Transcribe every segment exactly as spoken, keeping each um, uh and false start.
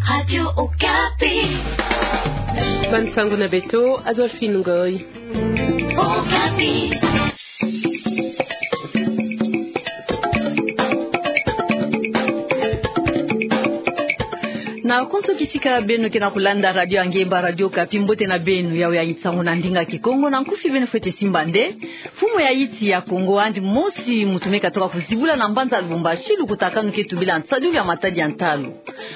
Radio Okapi. Bansango na beto, Adolphine Ngoy. Okapi. Na konso kisika beno ke na kulanda radio ya ngemba, Radio Okapi, mbote na beno. Yawu ya nsango na ndinga Kikongo, na nkufi beno fwete simba nde: Mfumu ya insi ya Kongo yandi mosi muntu me katoka kuzibula na mbanza Lubumbashi lukutakanu ke tubila nsadulu ya matadi ya ntalu.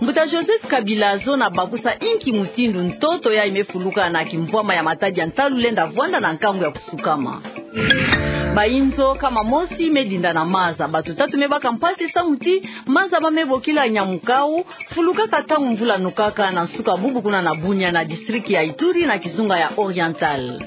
Mbuta Joseph Kabila, zona bakusa inki mutindu ntoto yayi me fuluka na kimvwama ya matadi ya ntalu lenda vwanda na nkangu ya kusukama. Bayinzo nkama mosi me dinda na maza. Bato tatu me baka mpasi samu ti maza ba me bokila Nyamukau, fulukaka ntangu mvula nokaka na nsuka bubu kuna na Bunia, na district ya Ituri, na kizunga ya Oriental.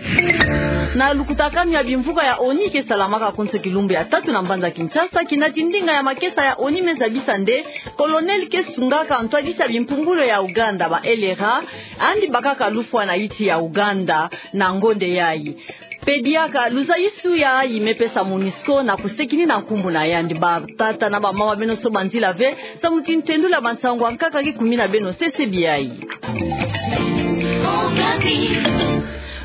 Na lukutakanu ya bimvuka ya ONU ke salamaka konso kilumbu ya tatu na mbanza Kinshasa, kinati ndinga ya makesa ya ONU me zabisa nde Colonel ke sungaka ntwadisi ya bimpumbulu ya Uganda, ba L R A, yandi bakaka lufwa na insi ya Uganda na ngonde yayi. Mpe diaka luzayisi yayi me pesa MONUSCO na kusekini na nkumbu na yandi. Batata na bamama, beno soba nzila ve, samu ti ntendula bansango ya nkaka ke kumina beno sese biai.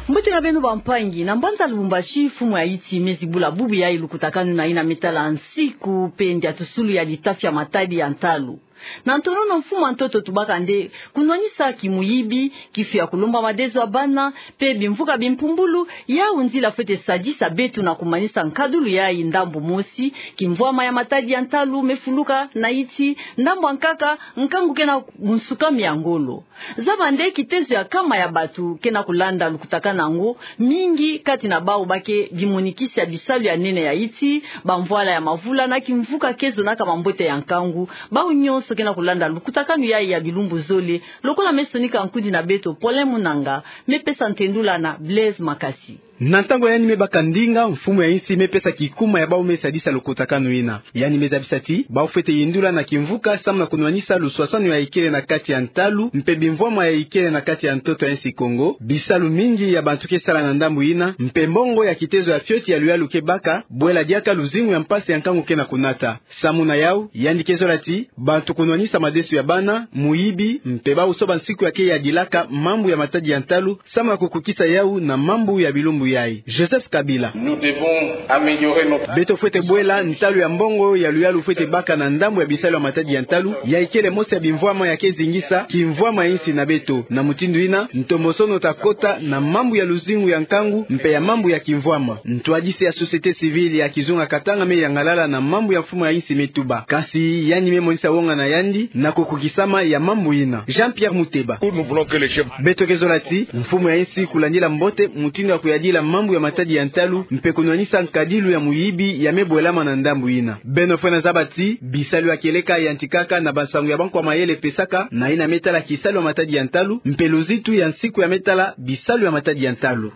Mbote na beno bampangi. Na mbanza Lubumbashi, mfumu ya insi me zibula bubu yayi lukutakanu na yina me tala nsiku mpe ndiatusulu ya litafi ya matadi ya ntalu. Na ntonono, mfumu ya ntoto tubaka nde kunwanisa kimuyibi, kifi ya kulomba madezo ya bana, mpe bimvuka bimpumbulu, yawu nzila fwete sadisa beto na kumanisa nkadulu yayi ndambu mosi: kimvwama ya matadi ya ntalu me fuluka na insi, ndambu ya nkaka, nkangu ke na bunsukami ya ngolo. Zaba nde kitezo ya nkama ya bato ke na kulanda lukutakanu yango, mingi kati na bawu ba ke bimonikisi ya bisalu ya nene ya insi, bamvwala ya mavula na kimvuka ke zonaka mambote ya nkangu. Bawu nyonso ke na kulanda lukutakanu yayi ya bilumbu zole, lokola me sonika nkundi na beto Paulin Munanga, me pesa ntendula na Blaise Makasi. Na ntangu yandi me baka ndinga, mfumu ya insi me pesa kikuma ya bawu me sadisa lukutakanu yina. Yandi me zabisa ti bawu fwete yindula na kimvuka samu na kunwanisa luswaswanu ya ikele na kati ya ntalu mpe bimvwama ya ikele na kati ya ntoto ya insi Kongo. Bisalu mingi ya bato ke sala na ndambu yina, mpe mbongo ya kitezo ya fioti ya luyalu ke baka, bwela diaka luzingu ya mpasi ya nkangu ke na kunata. Samu na yawu, yandi ke zola ti bato kunwanisa madezo ya bana, muyibi, mpe bawu soba nsiku ya ke yadilaka mambu ya matadi ya ntalu, samu na kukukisa yawu na mambu ya bilumbu yayi. Joseph Kabila. Nous devons améliorer notre... Beto fwete bwela ntalu ya mbongo ya luyalu fwete baka na ndambu ya bisalu ya matadi ya ntalu, ya ikele mosi ya bimvwama ya ke zingisa kimvwama ya insi na beto. Na mutindu yina, ntombosono ta kota na mambu ya luzingu ya nkangu mpe ya mambu ya kimvwama. Ntwadisi ya société civile ya kizunga Katanga me yangalala na mambu ya mfumu ya insi me tuba. Kasi yandi me monisa wonga na yandi na kukukisama ya mambu yina. Jean-Pierre Muteba. Nous voulons que les chefs... Beto ke zola ti mfumu ya insi kulandila mbote mutindu ya kuyadila mambu ya matadi ya ntalu mpe kunwanisa nkadilu ya muyibi ya me bwelama na ndambu yina. Beno fwena zaba ti bisalu ya kieleka yantikaka na bansangu ya bankwa mayele pesaka na yina me tala kisalu ya matadi ya ntalu mpe luzitu ya nsiku ya me tala bisalu ya matadi ya ntalu.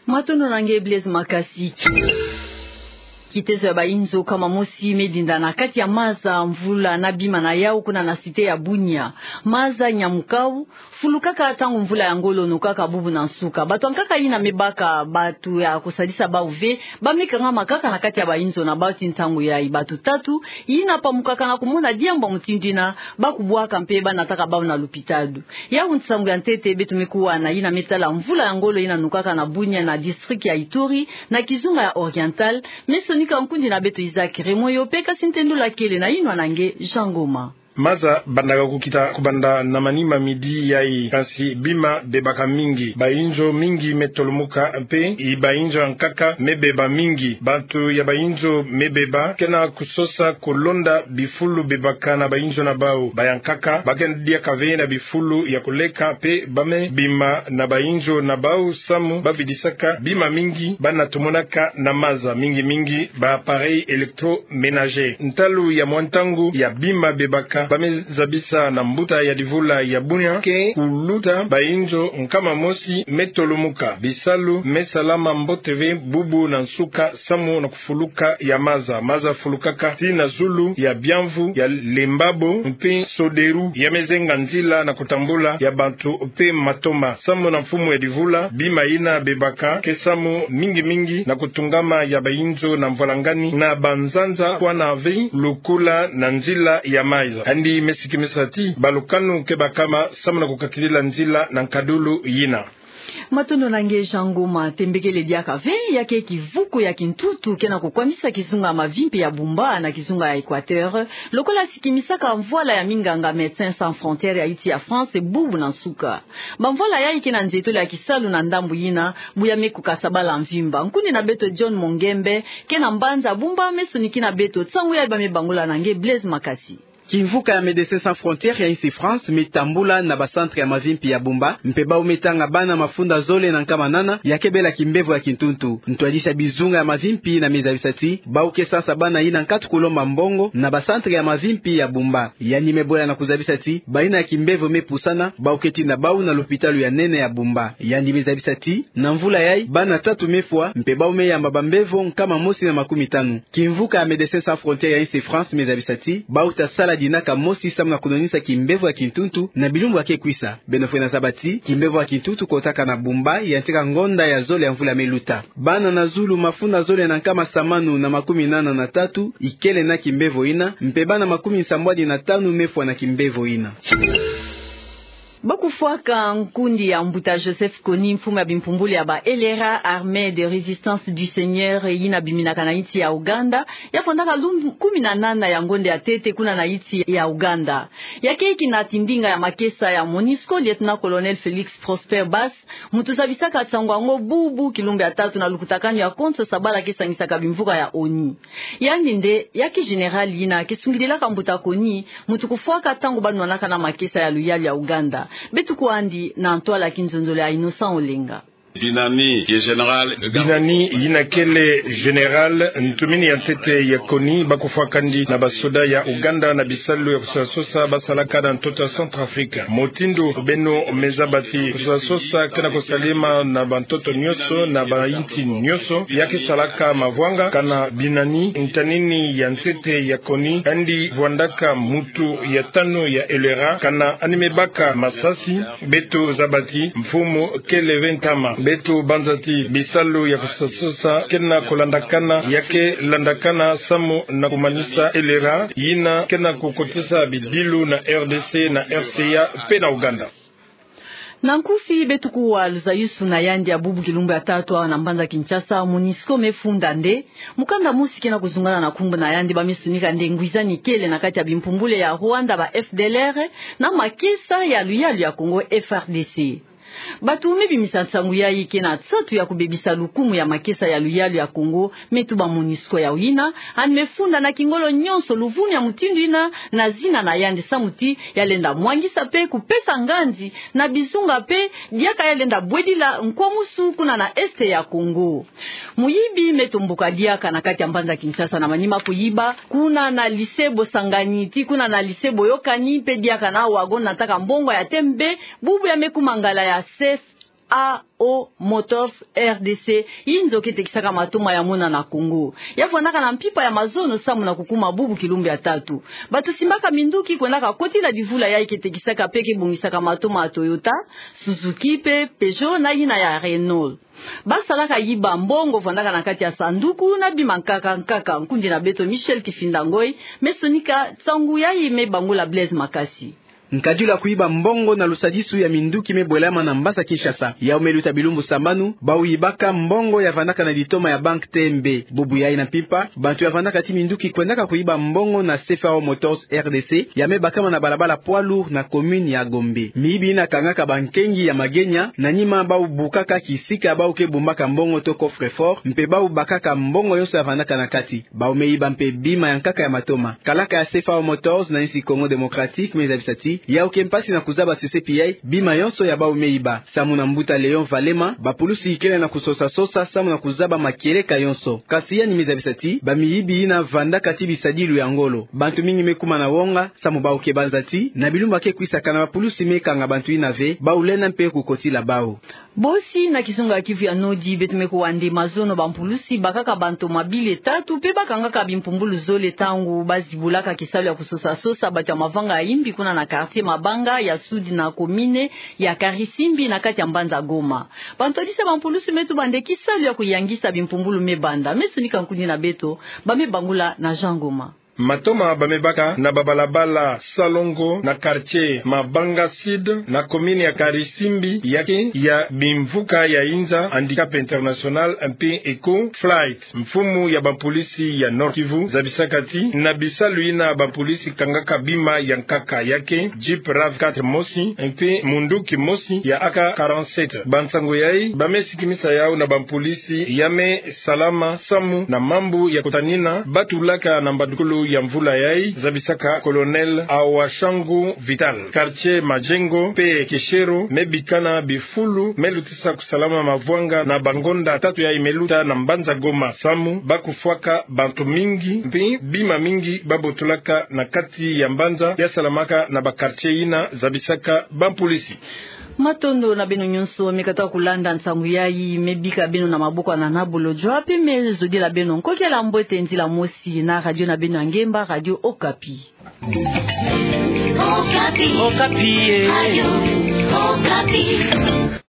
Matondo na nge Blaise Makasi. Kitezo ya bayinzo nkama mosi me dinda na kati ya maza, mvula na bima na yawu kuna na cité ya Bunia. Maza Nyamukau fulukaka ntangu mvula ya ngolo nokaka bubu na nsuka. Bato ya nkaka yina me baka bato ya kusadisa bawu ve, ba me kangama kaka na kati ya bayinzo na bawu ti ntangu yayi. Bato tatu yina pamukaka na kumona diambu ya mutindu yina, ba kubwaka mpe ba nataka bawu na lupitalu. Yawu nsangu ya ntete beto me kuwa na yina me tala mvula ya ngolo yina nokaka na Bunia, na district ya Ituri, na kizunga ya Oriental. Me sonika nkundi na beto Isaac Remoyo, mpe kasi ntendula kele na yinwa na nge Jean Ngoma. Maza bandaka kukita kubanda na manima midi yayi, kasi bima bebaka mingi. Bayinzo mingi me tolomuka, mpe i bayinzo ya nkaka me beba mingi. Bato ya bayinzo me beba ke na kusosa kolonda bifulu bebaka na bayinzo na bawu. Ba ya nkaka ba ke diaka ve na bifulu ya koleka, mpe ba me bima na bayinzo na bawu samu ba vidisaka bima mingi ba na tomonaka na maza, mingi mingi ba appareils électroménagers. Ntalu ya mwa ntangu ya bima bebaka ba me zabisa na mbuta ya divula ya Bunia ke kuluta bayinzo nkama mosi me tolomuka. Bisalu me salama mbote ve bubu na nsuka samu na kufuluka ya maza. Maza fulukaka tii na zulu ya biamvu, ya lembabo, mpe soderu ya me zenga nzila na kutambula ya bato mpe matoma. Samu na mfumu ya divula, bima yina bebaka ke samu mingi mingi na kutungama ya bayinzo na mvwalangani na banzanza kwa na ve lukula na nzila ya maza. Yandi me sikimisa ti balukanu ke bakama samu na kukakilila nzila na nkadulu yina. Matondo na nge Jean Ngoma. Tembekele diaka ve, ya ke kivuku ya kintutu ke na kukwamisa kizunga ya mavimpi ya Bumba na kizunga ya Equateur, lokola sikimisaka mvwala ya minganga Médecins Sans Frontières ya insi ya France bubu na nsuka. Bamvwala yayi ke na nzietolo ya kisalu na ndambu yina, bu ya me kukasa bala mvimba. Nkundi na beto John Mongembe, ke na mbanza Bumba, me sonikina beto nsangu yayi ba me bangula na nge Blaise Makasi. Kimvuka ya Médecins Sans Frontières ya insi France me tambula na ba centre ya mavimpi ya Bumba, mpe bau me tanga bana mafunda zole na nkama nana ya ke bela kimbevo ya kintutu. Ntwadisi ya bizunga ya mavimpi yina me zabisa ti bau ke sansa bana yina nkatu kulomba mbongo na ba centre ya mavimpi ya Bumba. Yandi me bola na kuzabisa ti bayina ya kimbevo me pusana, bau ke tinda bau na lopitalo ya nene ya Bumba. Yandi me zabisa ti na mvula yayi, bana tatu me fwa, mpe bau me yamba bambevo nkama mosi na makumi tanu. Kimvuka ya Médecins Sans Frontières ya insi France me zabisa ti bau ta sala dinaka mosi samu na kunwanisa kimbevo ya kintutu na bilumbu ya ke kwisa. Beno fwene zaba ti kimbevo ya kintutu kotaka na Bumba yantika ngonda ya zole ya mvula me luta. Bana na zulu mafunda zole na nkama samanu na makumi nana na tatu ikele na kimbevo yina, mpe bana makumi nsambwadi na tanu me fwa na kimbevo yina. Ba kufwaka nkundi ya mbuta Joseph Kony, mfumu ya bimpumbulu ya ba L R A, Armée de Résistance du Seigneur, yina biminaka na insi ya Ouganda, ya fwandaka lumbu kumi na nana ya ngonda ya ntete kuna na insi ya Ouganda. Ya keki na tindinga ya makesa ya MONUSCO, Lieutenant-colonel Félix Prosper Bass, muntu zabisaka nsangu yango bubu kilumbu ya tatu na lukutakanu ya konso sabala ke sangisaka bimvuka ya ONU. Yandi nde ya ke général yina ke sungidilaka mbuta Kony, muntu kufwaka ntangu ba nwanaka na makesa ya luyalu ya Ouganda. Beto kwandi na ntwala ya kinzonzolo ya Innocent Olenga. Binani, ki général. Binani, yina kele général, ntumini ya ntete ya Kony, ba kufwakandi na basoda ya Ouganda na bisalu ya kusosasosa ba salaka na ntoto ya Centrafrique. Mutindu beno me zaba ti kusosasosa ke na kusalema na bantoto nyonso, na bainsi nyonso, ya ke salaka mavwanga. Kana Binani, ntanini ya ntete ya Kony, yandi vwandaka muntu ya tanu ya L R A, kana yandi me baka masasi. Beto zaba ti mfumu kele ve ntama. Beto banza ti bisalu ya kusosasosa ke na kulandakana, ya ke landakana samu na kumanisa L R A yina ke na kukotisa bidilu na R D C, na R C A, mpe na Ouganda. Na nkufi, beto kuwa luzayusu na yandi ya bubu kilumbu ya tatu awa na mbanza Kinshasa. MONUSCO me funda nde mukanda mosi ke na kuzungana na nkumbu na yandi, ba me sonika nde ngwizani kele na kati ya bimpumbulu ya Rwanda, ba F D L R, na makesa ya luyalu ya Congo, F R D C. Bantu me bimisa nsangu yayi ke na nsatu ya kubebisa lukumu ya makesa ya luyalu ya Congo, me tuba MONUSCO. Yawu yina yandi me funda na kingolo nyonso luvunu ya mutindu yina, na zina na yandi, samu ti ya lenda mwangisa mpe kupesa nganzi na bizunga mpe diaka ya lenda bwedila nkwamusu kuna na Est ya Congo. Muyibi me tomboka diaka na kati ya mbanza Kinshasa na manima kuyiba kuna na lycée Bosangani tii kuna na lycée Boyokani, mpe diaka na wagon nataka mbongo ya tembe, bubu ya me kuma ngala ya C F A O Motors R D C, inzo ke tekisaka matoma ya mona na Congo. Ya vwandaka na mpimpa ya mazono samu na kukuma bubu kilumbu ya tatu. Bantu simbaka minduki kwendaka kotila divula yayi ke tekisaka mpe ke bongisaka matoma ya Toyota, Suzuki mpe Peugeot na yina ya Renault. Ba salaka yiba mbongo vwandaka na kati ya sanduku na bima nkaka nkaka. Nkundi na beto Michel Kifinda Ngoy me sonika nsangu yayi, me bangula Blaise Makasi. Nkadilu ya kuyiba mbongo na lusadisu ya minduki me bwelama na mbanza Kinshasa. Yawu me luta bilumbu sambanu, bau yibaka mbongo ya vandaka na ditoma ya banque T M B. Bubu yayi na mpimpa, bantu ya vandaka tii minduki kwendaka kuyiba mbongo na C F A O Motors R D C, ya me bakama na balabala poids lourd na commune ya Gombe. Miyibi yina kangaka bankengi ya magenya, na nima bau bukaka kisika bau ke bombaka mbongo to coffre-fort, mpe bau bakaka mbongo yonso ya vandaka na kati. Bau me yiba mpe bima ya nkaka ya matoma. Kalaka ya C F A O Motors na insi Congo Démocratique me zabisa tii yawu ke mpasi na kuzaba sesepi yayi bima yonso ya bau me yiba. Samu na mbuta Léon Valema, bapulusi ikele na kusosasosa samu na kuzaba makieleka yonso. Kasi yandi me zabisa tii bamiyibi yina vandaka tii bisadilu ya ngolo. Bantu mingi me kuma na wonga samu bau ke banza tii na bilumbu ya ke kwisa, kana bapulusi me kanga bantu yina ve, bau lenda mpe kukotila bau. Bosi na kizunga ya Kivu ya Nord, beto me kuwa nde mazono bampulusi bakaka bantu mabile tatu mpe bakangaka bimpumbulu zole ntangu bazibulaka kisalu ya kusosasosa bantu ya mavanga ya imbi kuna na quartier Mabanga ya Sud na commune ya Karisimbi na kati ya mbanza Goma. Bantwadisi ya bampulusi me tuba nde kisalu ya kuyangisa bimpumbulu me banda. Me sonika nkundi na beto, ba me bangula na Jean Ngoma. Matoma bamebaka na babalabala Salongo na quartier Mabanga Sud na commune ya Karisimbi, ya ke ya bimvuka ya inza Handicap International mpe Eco Flight. Mfumu ya bampolisi ya Nord-Kivu zabisaka ti na bisalu yina bampolisi kangaka bima ya nkaka, ya ke Jeep rav quatre mosi mpe munduki mosi ya A K quarante-sept. Bansango yayi bame sikimisa yawu na bampolisi ya me salama samu na mambu ya kotanina batulaka na mbandukulu ya mvula yayi, zabisaka Colonel Awashangu Vital. Quartier Majengo mpe Keshero me bikana bifulu me lutisa kusalama mavwanga na bangonda tatu yayi me luta na mbanza Goma samu ba kufwaka bantu mingi mpe bima mingi ba botolaka na kati ya mbanza ya salamaka na ba quartier yina, zabisaka bampolisi. Matondo na beno nyonso me katuka kulanda nsangu yayi me bika beno na maboko ya Nana Bolodjwa, mpe me zodila beno nkokila mbote nzila mosi na radio na beno ya ngemba, Radio Okapi. Okapi. Okapi, eh. Radio Okapi.